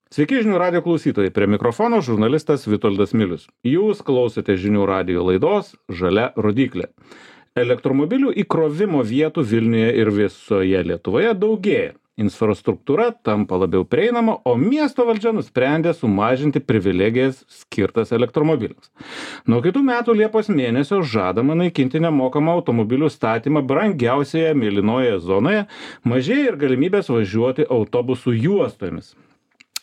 Sveiki žinių radio klausytojai, prie mikrofono žurnalistas Vitoldas Milius. Jūs klausote žinių radio laidos Žalia rodyklė. Elektromobilių įkrovimo vietų Vilniuje ir visoje Lietuvoje daugėja. Infrastruktūra tampa labiau prieinama, o miesto valdžia nusprendė sumažinti privilegijas skirtas elektromobiliams. Nuo kitų metų Liepos mėnesio žadama naikinti nemokamą automobilių statymą brangiausioje mėlynoje zonoje, mažėja ir galimybės važiuoti autobusų juostomis.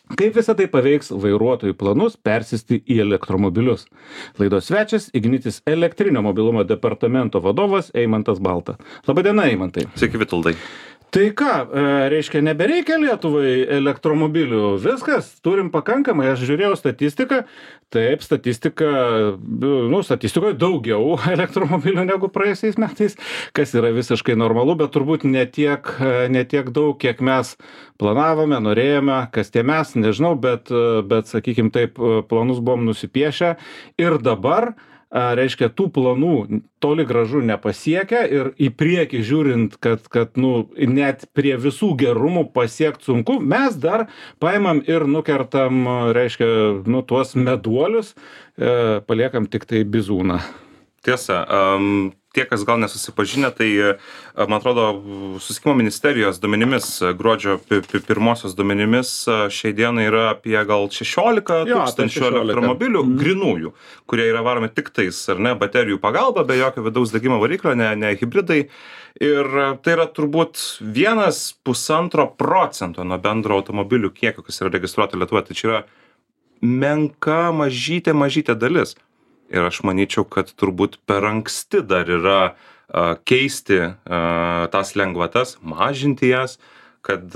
Kaip visą tai paveiks vairuotojų planus persėsti į elektromobilius? Laidos svečias Ignitis elektrinio mobilumo departamento vadovas Eimantas Balta. Labadiena, Eimantai. Sveiki, Vitoldai. Tai ką, reiškia, nebereikia Lietuvai elektromobilių? Viskas, turim pakankamai. Aš žiūrėjau statistiką. Taip, statistikoje daugiau elektromobilių negu praėjusiais metais, kas yra visiškai normalu, bet turbūt ne tiek daug, kiek mes planavome, norėjome, kas tie mes, nežinau, bet sakykim taip, planus buvom nusipiešę ir dabar reiškia, tų planų toli gražu nepasiekia ir į priekį žiūrint, kad net prie visų gerumų pasiekt sunku, mes dar paimam ir nukertam, reiškia, tuos meduolius, paliekam tik tai bizūną. Tiesa, tie, kas gal nesusipažinę, tai, man atrodo, Susisiekimo ministerijos duomenimis, gruodžio pirmosios duomenimis, šiai dienai yra apie gal 16 tūkstančių elektromobilių grynųjų, kurie yra varomi tik tais, ar ne, baterijų pagalba, be jokio vidaus degimo variklio, ne hibridai. Ir tai yra turbūt 1,5% nuo bendro automobilių kiekio, kas yra registruota Lietuvoje. Tai čia yra menka, mažytė dalis. Ir aš manyčiau, kad turbūt per anksti dar yra keisti tas lengvatas, mažinti jas, kad,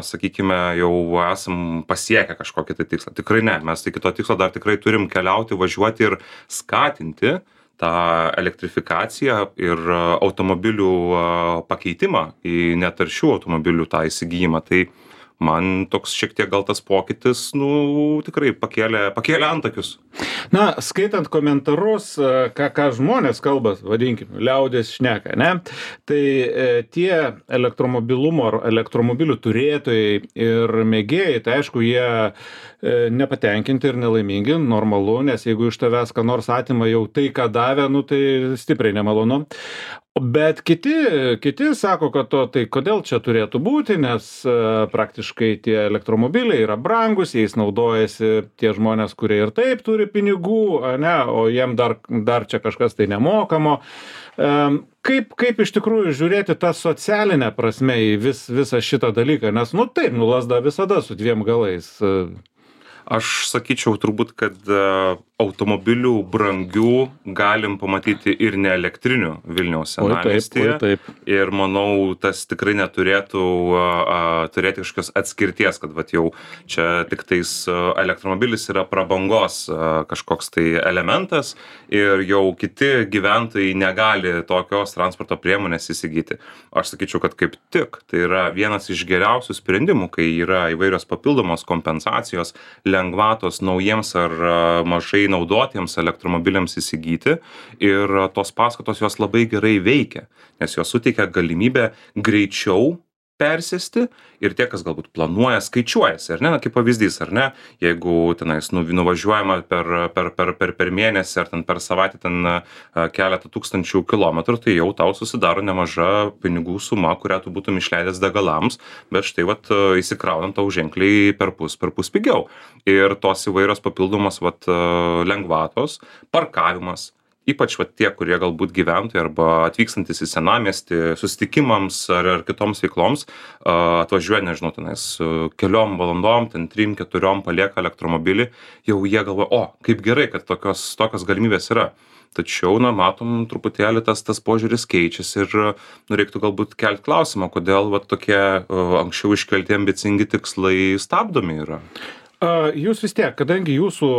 sakykime, jau esam pasiekę kažkokį tai tikslą. Tikrai ne, mes iki to tikslo dar tikrai turim keliauti, važiuoti ir skatinti tą elektrifikaciją ir automobilių pakeitimą į netaršių automobilių tą įsigijimą. Tai man toks šiek tiek gal tas pokytis, tikrai pakėlė antakius. Skaitant komentarus, ką žmonės kalba, vadinkim, liaudės šneka, ne? Tai tie elektromobilių turėtojai ir mėgėjai, tai aišku, jie nepatenkinti ir nelaimingi, normalu, nes jeigu iš tavęs ką nors atima jau tai, ką davė, tai stipriai nemalonu. Bet kiti sako, kad tai kodėl čia turėtų būti, nes praktiškai tie elektromobiliai yra brangus, jais naudojasi tie žmonės, kurie ir taip turi pinigų, ne, o jiem dar čia kažkas tai nemokamo. Kaip iš tikrųjų žiūrėti tą socialinę prasme į visą šitą dalyką, nes taip, lazda visada su dviem galais. Aš sakyčiau turbūt, kad automobilių brangių galim pamatyti ir ne elektrinių Vilniaus senamiestyje. Taip. Ir manau, tas tikrai neturėtų turėti kažkokios atskirties, kad jau čia tik tais elektromobilis yra prabangos kažkoks tai elementas ir jau kiti gyventojai negali tokios transporto priemonės įsigyti. Aš sakyčiau, kad kaip tik tai yra vienas iš geriausių sprendimų, kai yra įvairios papildomos kompensacijos, lengvatos naujiems ar mažai naudotiems elektromobiliams įsigyti ir tos paskatos jos labai gerai veikia, nes jos suteikia galimybę greičiau persėsti ir tie, kas galbūt planuoja, skaičiuojasi, ar ne, kaip pavyzdys, ar ne, jeigu tenais nuvažiuojama per mėnesį ar per savaitę keletą tūkstančių kilometrų, tai jau tau susidaro nemaža pinigų suma, kurią tu būtum išleidęs degalams, bet štai įsikraunant tau ženkliai perpus pigiau. Ir tos įvairios papildomos lengvatos, parkavimas, ypač tie, kurie galbūt gyventojai arba atvykstantis į senamiestį susitikimams ar kitoms veikloms, atvažiuoja, nežinau, keliom valandom, 3-4 palieka elektromobilį, jau jie galvoja, kaip gerai, kad tokios galimybės yra. Tačiau, matom, truputėlį tas požiūris keičiasi ir reiktų galbūt kelti klausimą, kodėl tokie anksčiau iškelti ambicingi tikslai stabdomi yra. Jūs vis tiek, kadangi jūsų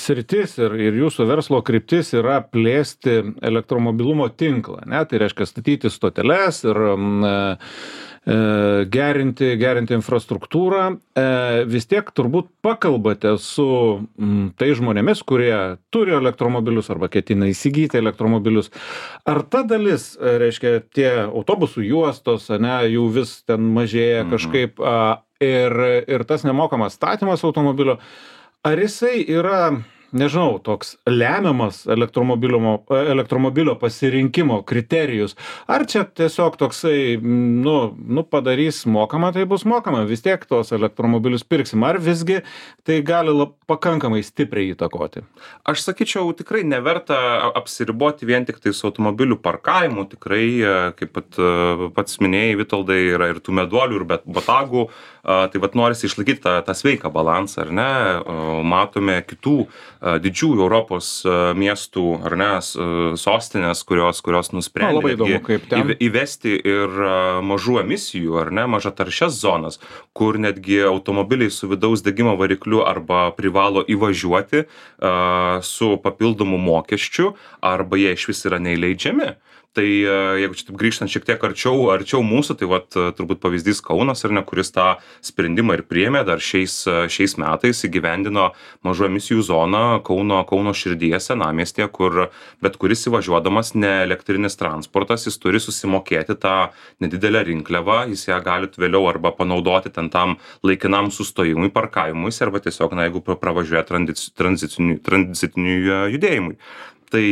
sritis ir jūsų verslo kryptis yra plėsti elektromobilumo tinklą, ne? Tai reiškia statyti stoteles ir gerinti infrastruktūrą, vis tiek turbūt pakalbate su tai žmonėmis, kurie turi elektromobilius arba ketina įsigyti elektromobilius. Ar ta dalis, reiškia, tie autobusų juostos, ne, jų vis ten mažėja kažkaip, ir tas nemokamas statymas automobilio, ar jisai yra, nežinau, toks lemiamas elektromobilio pasirinkimo kriterijus, ar čia tiesiog toksai, nu padarys mokamą, tai bus mokama, vis tiek tos elektromobilius pirksim, ar visgi tai gali pakankamai stipriai įtakoti? Aš sakyčiau, tikrai neverta apsiriboti vien tik tais automobilių parkavimu, tikrai, kaip pats minėjai, Vitoldai, yra ir tų meduolių, ir botagų, tai vat norisi išlaikyti tą sveiką balansą, ar ne? Matome kitų didžiųjų Europos miestų, ar ne, sostinės, kurios nusprendė įvesti ir mažų emisijų, ar ne, mažataršias zonas, kur netgi automobiliai su vidaus degimo varikliu arba privalo įvažiuoti su papildomu mokesčiu, arba jie išvis yra neįleidžiami. Tai jeigu čia taip grįžtant šiek tiek arčiau mūsų, tai vat turbūt pavyzdys Kaunas, ar ne, kuris tą sprendimą ir priėmė dar šiais metais, įgyvendino mažų emisijų zoną Kauno širdyje senamiestyje, kur bet kuris įvažiuodamas ne elektrinis transportas, jis turi susimokėti tą nedidelę rinkliavą, jis ją gali vėliau arba panaudoti ten tam laikinam sustojimui, parkavimuisi, arba tiesiog, jeigu pravažiuoja tranzitiniui judėjimui. Tai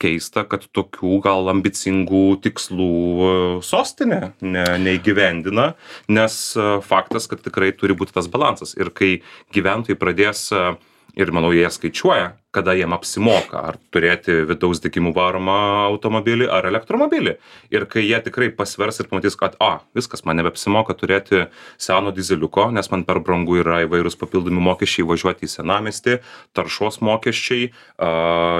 keista, kad tokių gal ambicingų tikslų sostinė neįgyvendina, nes faktas, kad tikrai turi būti tas balansas. Ir kai gyventojai pradės, ir manau jie skaičiuoja, kada jiem apsimoka, ar turėti vidaus degimų varomą automobilį ar elektromobilį. Ir kai jie tikrai pasvers ir pamatys, kad viskas, man nebeapsimoka turėti seno dizeliuko, nes man per brangu yra įvairūs papildomi mokesčiai važiuoti į senamiestį, taršos mokesčiai,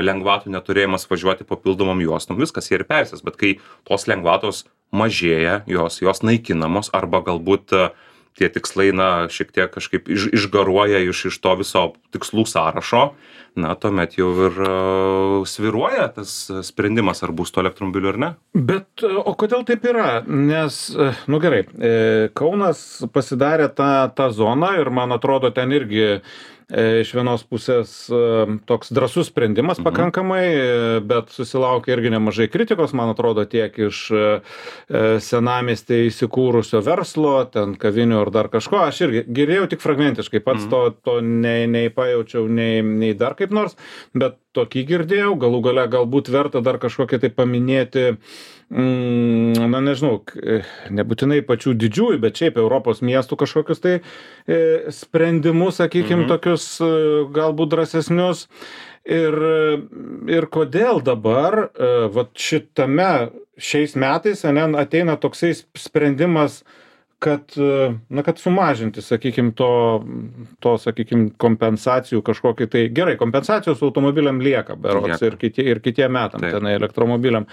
lengvatų neturėjimas važiuoti papildomom juostom, viskas jie ir persės. Bet kai tos lengvatos mažėja, jos naikinamos, arba galbūt tie tikslai, šiek tiek kažkaip išgaruoja iš to viso tikslų sąrašo, tuomet jau ir svyruoja tas sprendimas, ar bus to elektromobilių ar ne. Bet o kodėl taip yra? Nes, gerai, Kaunas pasidarė tą zoną ir man atrodo ten irgi iš vienos pusės toks drąsus sprendimas pakankamai, bet susilaukė irgi nemažai kritikos, man atrodo, tiek iš senamiestyje įsikūrusio verslo, ten kavinių ar dar kažko. Aš irgi girdėjau tik fragmentiškai, pats to nei pajaučiau, nei dar kaip nors, bet tokį girdėjau, galų gale galbūt verta dar kažkokią tai paminėti, nežinau, nebūtinai pačių didžiųjų, bet šiaip Europos miestų kažkokius tai sprendimus, sakykim, tokius galbūt drąsesnius. Ir kodėl dabar, vat šiais metais, ateina toksai sprendimas, kad sumažinti, sakykim, sakykim, kompensacijų kažkokį tai, gerai, kompensacijos automobiliam lieka berods ir kitiem metam tenai elektromobiliam.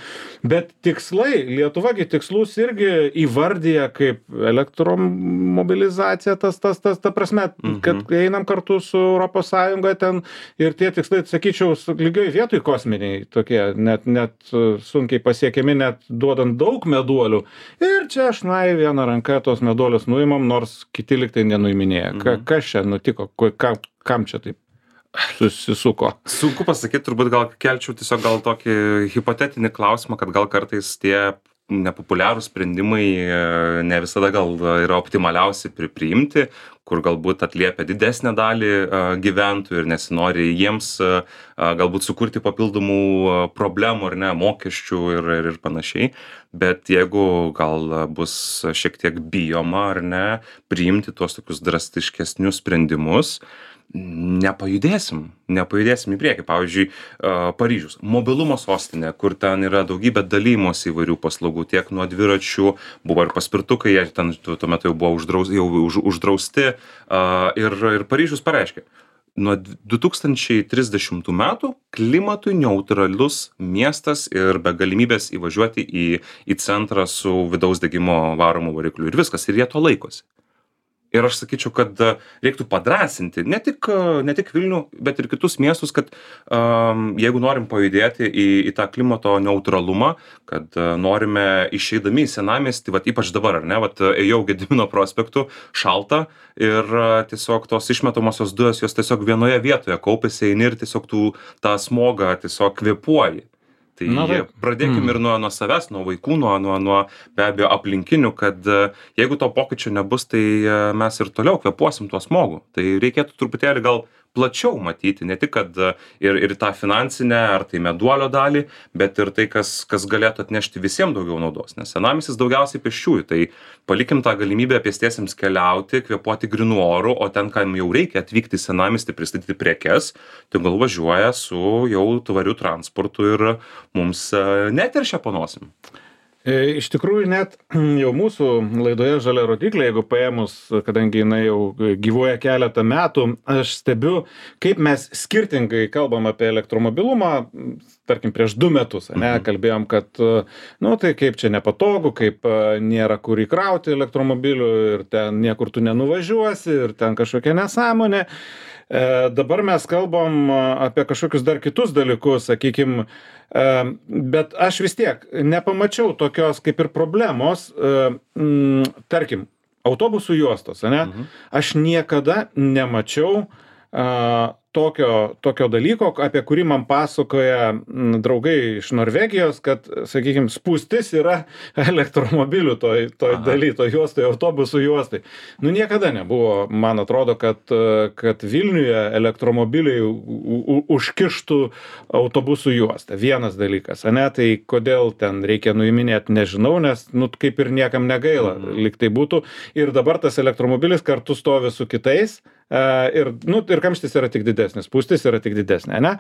Bet tikslai, Lietuvagi tikslus irgi įvardyja kaip elektromobilizacija, ta prasme, kad einam kartu su Europos Sąjunga ten ir tie tikslai, sakyčiau, lygioj vietoj kosminiai tokie, net sunkiai pasiekiami, net duodant daug meduolių. Ir čia aš vieną ranką tos meduolius nuimam, nors kiti liktai nenuiminėja. Kas čia nutiko? Kam čia taip susisuko? Sunku pasakyti, turbūt gal kelčiau tiesiog gal tokį hipotetinį klausimą, kad gal kartais tie nepopuliarūs sprendimai ne visada gal yra optimaliausi priimti, kur galbūt atliepia didesnę dalį gyventojų ir nesinori jiems galbūt sukurti papildomų problemų ar ne, mokesčių ir panašiai. Bet jeigu gal bus šiek tiek bijoma ar ne, priimti tuos tokius drastiškesnius sprendimus, nepajudėsim į priekį. Pavyzdžiui, Paryžius, mobilumo sostinė, kur ten yra daugybė dalymosi įvairių paslaugų, tiek nuo dviračių, buvo ir paspirtukai, jie ten tuo metu jau buvo uždrausti, ir Paryžius pareiškė, nuo 2030 metų klimatui neutralus miestas ir be galimybės įvažiuoti į centrą su vidaus degimo varomu varikliu. Ir viskas, ir jie to laikosi. Ir aš sakyčiau, kad reiktų padrąsinti ne tik Vilnių, bet ir kitus miestus, kad jeigu norim pajudėti į tą klimato neutralumą, kad norime išeidami į senamiestį, ypač dabar, ar ne, ėjau Gedimino prospektu, šalta ir tiesiog tos išmetamosios dujos, jos tiesiog vienoje vietoje kaupiasi, eini ir tiesiog tą smogą tiesiog kvėpuoji. Tai pradėkim ir nuo savęs, nuo vaikų, nuo be abejo aplinkinių, kad jeigu to pokyčio nebus, tai mes ir toliau kvėpuosim tuo smogu. Tai reikėtų truputėlį gal plačiau matyti, ne tik, kad ir tą finansinę ar tai meduolio dalį, bet ir tai, kas galėtų atnešti visiems daugiau naudos. Nes senamiestis daugiausiai pėsčiųjų, tai palikim tą galimybę pėstiesiems keliauti, kvėpuoti grynų orų, o ten, kam jau reikia atvykti į senamiestį, pristatyti prekes, tai gal važiuoja su jau tvariu transportu ir mums neteršia po nosim. Iš tikrųjų, net jau mūsų laidoje Žalia rodyklė, jeigu paėmus, kadangi jinai jau gyvuoja keletą metų, aš stebiu, kaip mes skirtingai kalbam apie elektromobilumą, tarkim, prieš 2 metus, kalbėjom, kad, tai kaip čia nepatogu, kaip nėra kur įkrauti elektromobilių ir ten niekur tu nenuvažiuosi ir ten kažkokia nesąmonė. Dabar mes kalbam apie kažkokius dar kitus dalykus, sakykim, bet aš vis tiek nepamačiau tokios kaip ir problemos, tarkim, autobusų juostos, aš niekada nemačiau tokio dalyko, apie kurį man pasakoja draugai iš Norvegijos, kad, sakykime, spūstis yra elektromobilių toj daly, toj juostai, autobusų juostai. Niekada nebuvo, man atrodo, kad Vilniuje elektromobiliai užkištų autobusų juostą. Vienas dalykas, tai kodėl ten reikia nuiminėti, nežinau, nes, kaip ir niekam negaila, lyg tai būtų. Ir dabar tas elektromobilis kartu stovi su kitais, ir kamštis yra tik didesnis, spūstis yra tik didesnė, ne?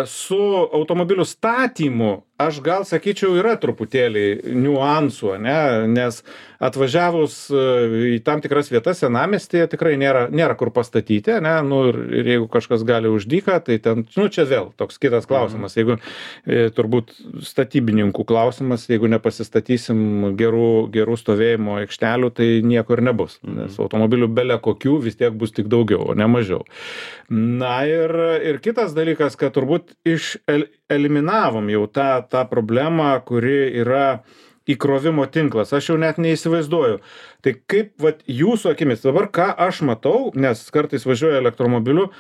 Su automobilių statymu aš gal sakyčiau yra truputėlį niuansų, nes atvažiavus į tam tikras vietas senamiestyje tikrai nėra kur pastatyti, ir jeigu kažkas gali už dyką, tai ten, čia vėl toks kitas klausimas, jeigu turbūt statybininkų klausimas, jeigu nepasistatysim gerų stovėjimo aikštelių, tai nieko ir nebus, nes automobilių bele kokių vis tiek bus tik daugiau, o ne mažiau. Ir kitas dalykas, kad turbūt eliminavom jau tą problemą, kuri yra įkrovimo tinklas. Aš jau net neįsivaizduoju. Tai kaip jūsų akimis, dabar ką aš matau, nes kartais važiuoju elektromobiliu,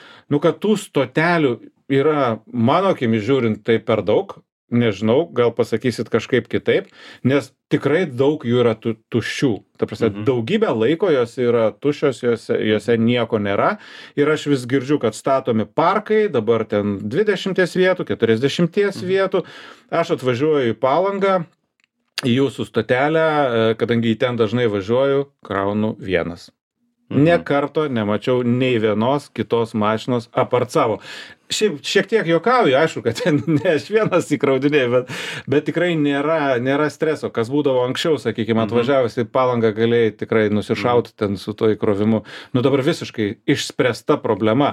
kad tų stotelių yra, mano akimis žiūrint, tai per daug. Nežinau, gal pasakysit kažkaip kitaip, nes tikrai daug jų yra tuščių. Ta prasme, daugybę laiko jos yra tuščios, jose nieko nėra. Ir aš vis girdžiu, kad statomi parkai, dabar ten 20 vietų, 40 vietų. Aš atvažiuoju į Palangą, į jūsų stotelę, kadangi į ten dažnai važiuoju, kraunu vienas. Nė karto nemačiau nei vienos kitos mašinos apart savo. Šiek tiek juokauju, aišku, kad ne aš vienas įkraudinėjau, bet tikrai nėra streso, kas būdavo anksčiau, sakykime, atvažiavus į Palangą galėjai tikrai nusišauti ten su to įkrovimu. Dabar visiškai išspręsta problema.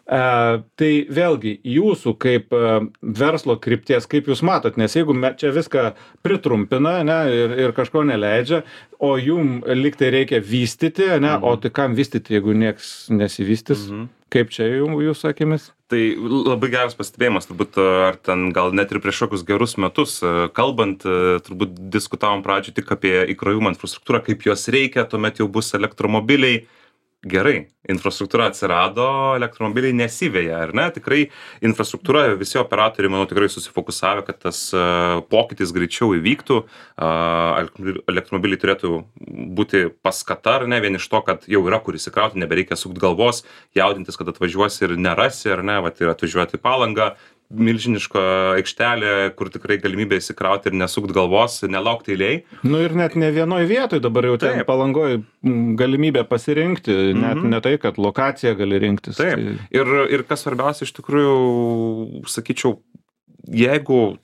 Tai vėlgi, jūsų kaip verslo krypties, kaip jūs matot, nes jeigu čia viską pritrumpina ir kažko neleidžia, o jum liktai reikia vystyti, o tai kam vystyti, jeigu nieks nesivystys? Kaip čia jūsų akimis? Tai labai geras pastebėjimas, turbūt, ar ten gal net ir prieš kokius gerus metus kalbant, turbūt diskutavom pradžioje tik apie įkrovimo infrastruktūrą, kaip jos reikia, tuomet jau bus elektromobiliai. Gerai, infrastruktūra atsirado, elektromobiliai nesiveja, ar ne? Tikrai infrastruktūra, visi operatoriai, manau, tikrai susifokusavę, kad tas pokytis greičiau įvyktų, elektromobiliai turėtų būti paskata, ar ne, vien iš to, kad jau yra kur įsikrauti, nebereikia sukt galvos, jaudintis, kad atvažiuosi ir nerasi, ar ne, ir atvažiuoti į Palangą, milžiniška aikštelė, kur tikrai galimybė įsikrauti ir nesukt galvos, nelaukti eilėj. Ir net ne vienoj vietoj, dabar jau ten Palangoj galimybė pasirinkti, net ne tai, kad lokaciją gali rinktis. Taip. Ir kas svarbiausia, iš tikrųjų, sakyčiau, jeigu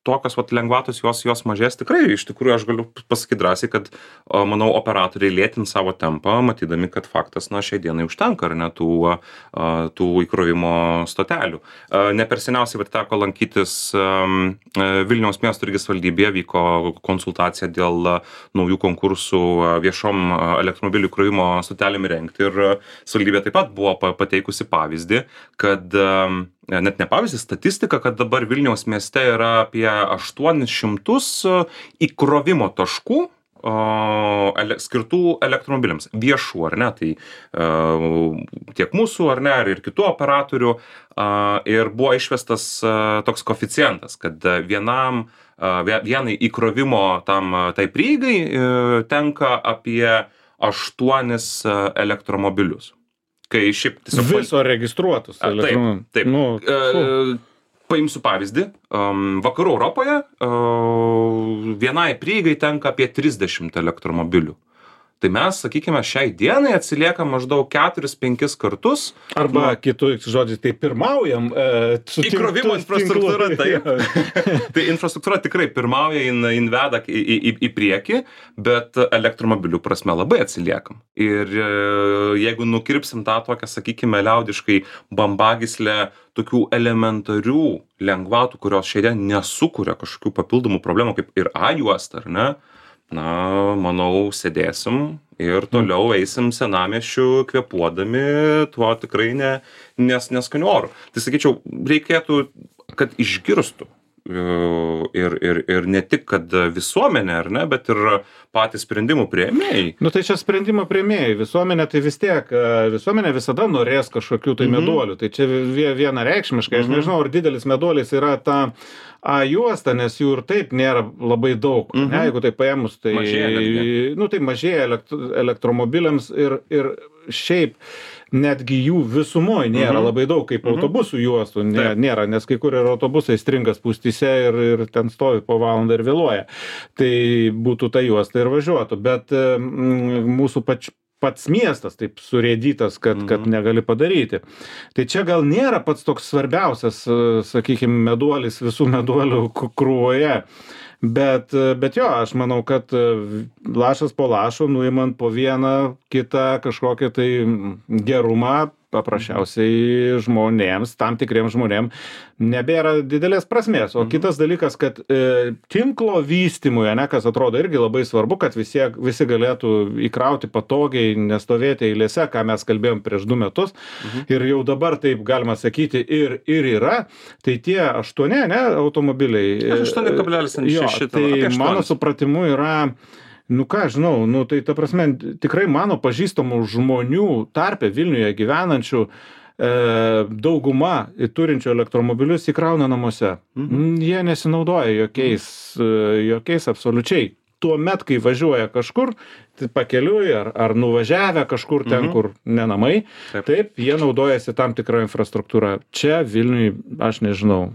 tokios lengvatos jos mažės, tikrai, iš tikrųjų, aš galiu pasakyti drąsiai, kad, manau, operatoriai lėtins savo tempą, matydami, kad faktas, šiai dienai užtenka, ar ne, tų įkrovimo stotelių. Ne per seniausiai teko lankytis Vilniaus miesto irgi savivaldybėje, vyko konsultacija dėl naujų konkursų viešom elektromobilių įkrovimo stotelėm įrengti ir savivaldybė taip pat buvo pateikusi pavyzdį, kad net ne pavyzdį, statistika, kad dabar Vilniaus mieste yra apie 800 įkrovimo taškų skirtų elektromobiliams, viešų, ar ne, tai tiek mūsų, ar ne, ir kitų operatorių, ir buvo išvestas toks koeficientas, kad vienai įkrovimo tai prieigai tenka apie 8 elektromobilius. Kai šiaip tiesiog... Viso registruotus elektromobilius. Taip. Paimsiu pavyzdį. Vakarų Europoje vienai prieigai tenka apie 30 elektromobilių. Tai mes, sakykime, šiai dienai atsiliekam maždaug 4-5 kartus. Arba kitus žodžiais, tai pirmaujam įkrovimo infrastruktūra, taip. Tai infrastruktūra tikrai pirmauja, jin veda į priekį, bet elektromobilių prasme labai atsiliekam. Ir jeigu nukirpsim tą tokią, sakykime, liaudiškai bambagyslę tokių elementarių lengvatų, kurios šiandien nesukuria kažkokių papildomų problemų, kaip ir A-juosta, ar ne? Na, manau, sėdėsim ir toliau eisim senamiesčiu kvėpuodami tuo tikrai neskaniu oru. Tai sakyčiau, reikėtų, kad išgirstų ir ne tik, kad visuomenė, ar ne, bet ir patys sprendimų priėmėjai. Nu tai čia sprendimo priėmėjai. Visuomenė tai vis tiek, visuomenė visada norės kažkokių tai meduolių. Tai čia vienareikšmiškai, aš nežinau, ar didelis meduolis yra ta A-juosta, nes jų ir taip nėra labai daug. Ne, jeigu tai paėmus, tai mažėja elektromobiliams ir šiaip netgi jų visumoje nėra labai daug, kaip autobusų juostų nėra, nes kai kur ir autobusai stringa spūstyse ir ten stovi po valandą ir vėluoja. Tai būtų ta juosta ir važiuotų, bet mūsų pats miestas taip surėdytas, kad negali padaryti. Tai čia gal nėra pats toks svarbiausias, sakykime, meduolis visų meduolių krūvoje. Bet jo, aš manau, kad lašas po lašo, nuimant po vieną kitą kažkokią tai gerumą, paprasčiausiai žmonėms, tam tikriems žmonėms, nebėra didelės prasmės. O kitas dalykas, kad tinklo vystymui, kas atrodo irgi labai svarbu, kad visi galėtų įkrauti patogiai, nestovėti eilėse, ką mes kalbėjom prieš 2 metus. Ir jau dabar taip galima sakyti ir yra. Tai tie 8 automobiliai. 8,6. Tai mano supratimu yra... Nu ką, žinau, tai ta prasme, tikrai mano pažįstamų žmonių tarpe Vilniuje gyvenančių dauguma turinčių elektromobilius įkrauna namuose. Jie nesinaudoja jokiais absoliučiai. Tuomet, kai važiuoja kažkur, pakeliui ar nuvažiavę kažkur ten, kur ne namai, taip, jie naudojasi tam tikrą infrastruktūrą. Čia Vilniui, aš nežinau,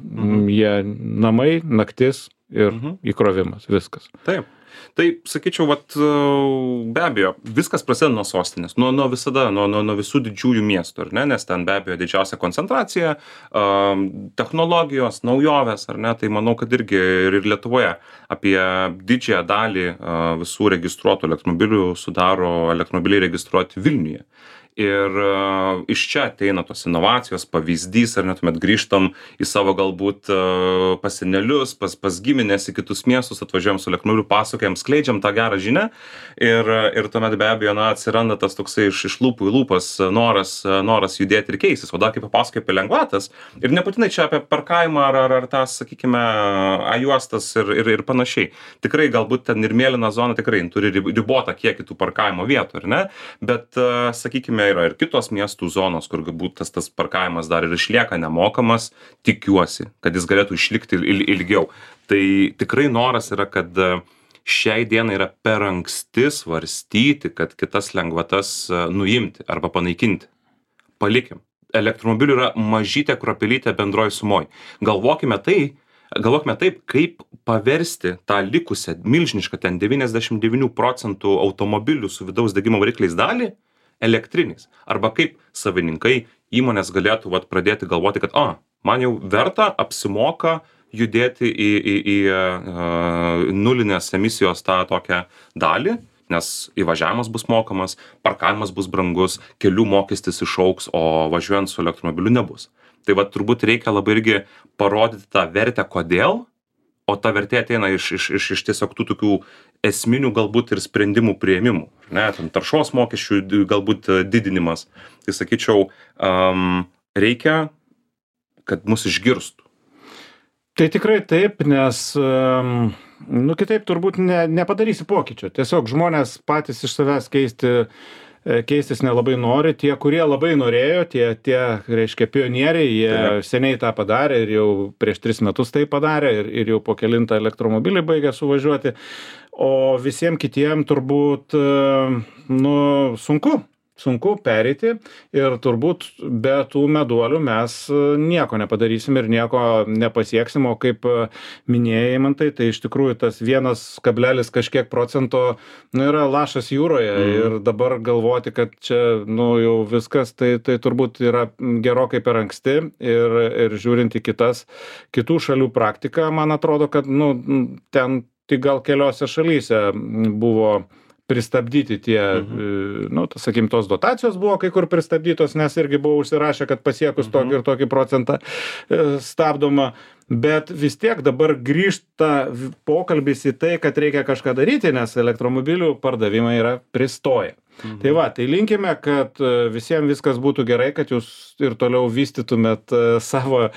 jie namai, naktis ir įkrovimas, viskas. Taip. Tai, sakyčiau, be abejo, viskas prasideda nuo sostinės, nuo visų didžiųjų miestų, ar ne, nes ten be abejo didžiausia koncentracija, technologijos, naujovės, ar ne, tai manau, kad irgi ir Lietuvoje apie didžiąją dalį visų registruotų elektromobilių sudaro elektromobiliai registruoti Vilniuje. Ir iš čia ateina tos inovacijos, pavyzdys, ar net grįžtam į savo galbūt pas senelius, pas giminės, į kitus miestus, atvažiuojam su elektromobiliu, pasakojam, skleidžiam tą gerą žinią ir tuomet be abejo atsiranda tas toksai iš lūpų į lūpas noras judėti ir keistis. O dar kaip papasakoju apie lengvatas ir nebūtinai čia apie parkavimą ar tas, sakykime, A-juostas ir panašiai. Tikrai galbūt ten ir mėlyna zona tikrai turi ribotą kiekį tų parkavimo vietų, ar ne? Bet, sakykime, yra ir kitos miestų zonos, kur galbūt tas parkavimas dar ir išlieka nemokamas, tikiuosi, kad jis galėtų išlikti ilgiau. Tai tikrai noras yra, kad šiai dienai yra per anksti svarstyti, kad kitas lengvatas nuimti arba panaikinti. Palikim. Elektromobilių yra mažytė kruopelytė bendroj sumoj. Galvokime taip, kaip paversti tą likusią milžinišką ten 99% automobilių su vidaus degimo varikliais dalį elektriniais. Arba kaip savininkai įmonės galėtų pradėti galvoti, kad man jau verta, apsimoka judėti į nulinės emisijos tą tokią dalį, nes įvažiavimas bus mokamas, parkavimas bus brangus, kelių mokestis išaugs, o važiuojant su elektromobiliu nebus. Tai turbūt reikia labai irgi parodyti tą vertę, kodėl, o ta vertė ateina iš tiesiog tų tokių esminių galbūt ir sprendimų priėmimų. Ne, ten taršos mokesčių galbūt didinimas. Tai sakyčiau, reikia, kad mus išgirstų. Tai tikrai taip, nes kitaip turbūt nepadarysi pokyčio. Tiesiog žmonės patys iš savęs keistis nelabai nori. Tie, kurie labai norėjo, tie reiškia, pionieriai, jie seniai tą padarė ir jau prieš 3 metus tai padarė ir jau po kelintą elektromobilį baigė suvažiuoti. O visiems kitiem turbūt, sunku pereiti ir turbūt be tų meduolių mes nieko nepadarysim ir nieko nepasieksim, o kaip minėjai, man tai iš tikrųjų tas 1, kažkiek procento yra lašas jūroje ir dabar galvoti, kad čia jau viskas, tai turbūt yra gerokai per anksti ir žiūrint į kitų šalių praktiką, man atrodo, kad ten tik gal keliose šalyse buvo pristabdyti tie, sakykim, tos dotacijos buvo kai kur pristabdytos, nes irgi buvo užsirašę, kad pasiekus tokį ir tokį procentą stabdoma, bet vis tiek dabar grįžta pokalbis į tai, kad reikia kažką daryti, nes elektromobilių pardavimai yra pristoję. Tai tai linkime, kad visiems viskas būtų gerai, kad jūs ir toliau vystytumėt savo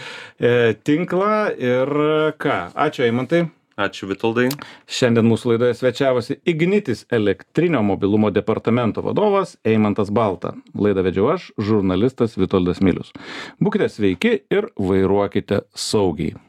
tinklą ir ką. Ačiū, Eimantai. Ačiū, Vitoldai. Šiandien mūsų laidoje svečiavosi Ignitis elektrinio mobilumo departamento vadovas Eimantas Balta. Laidą vedžiau aš, žurnalistas Vitoldas Milius. Būkite sveiki ir vairuokite saugiai.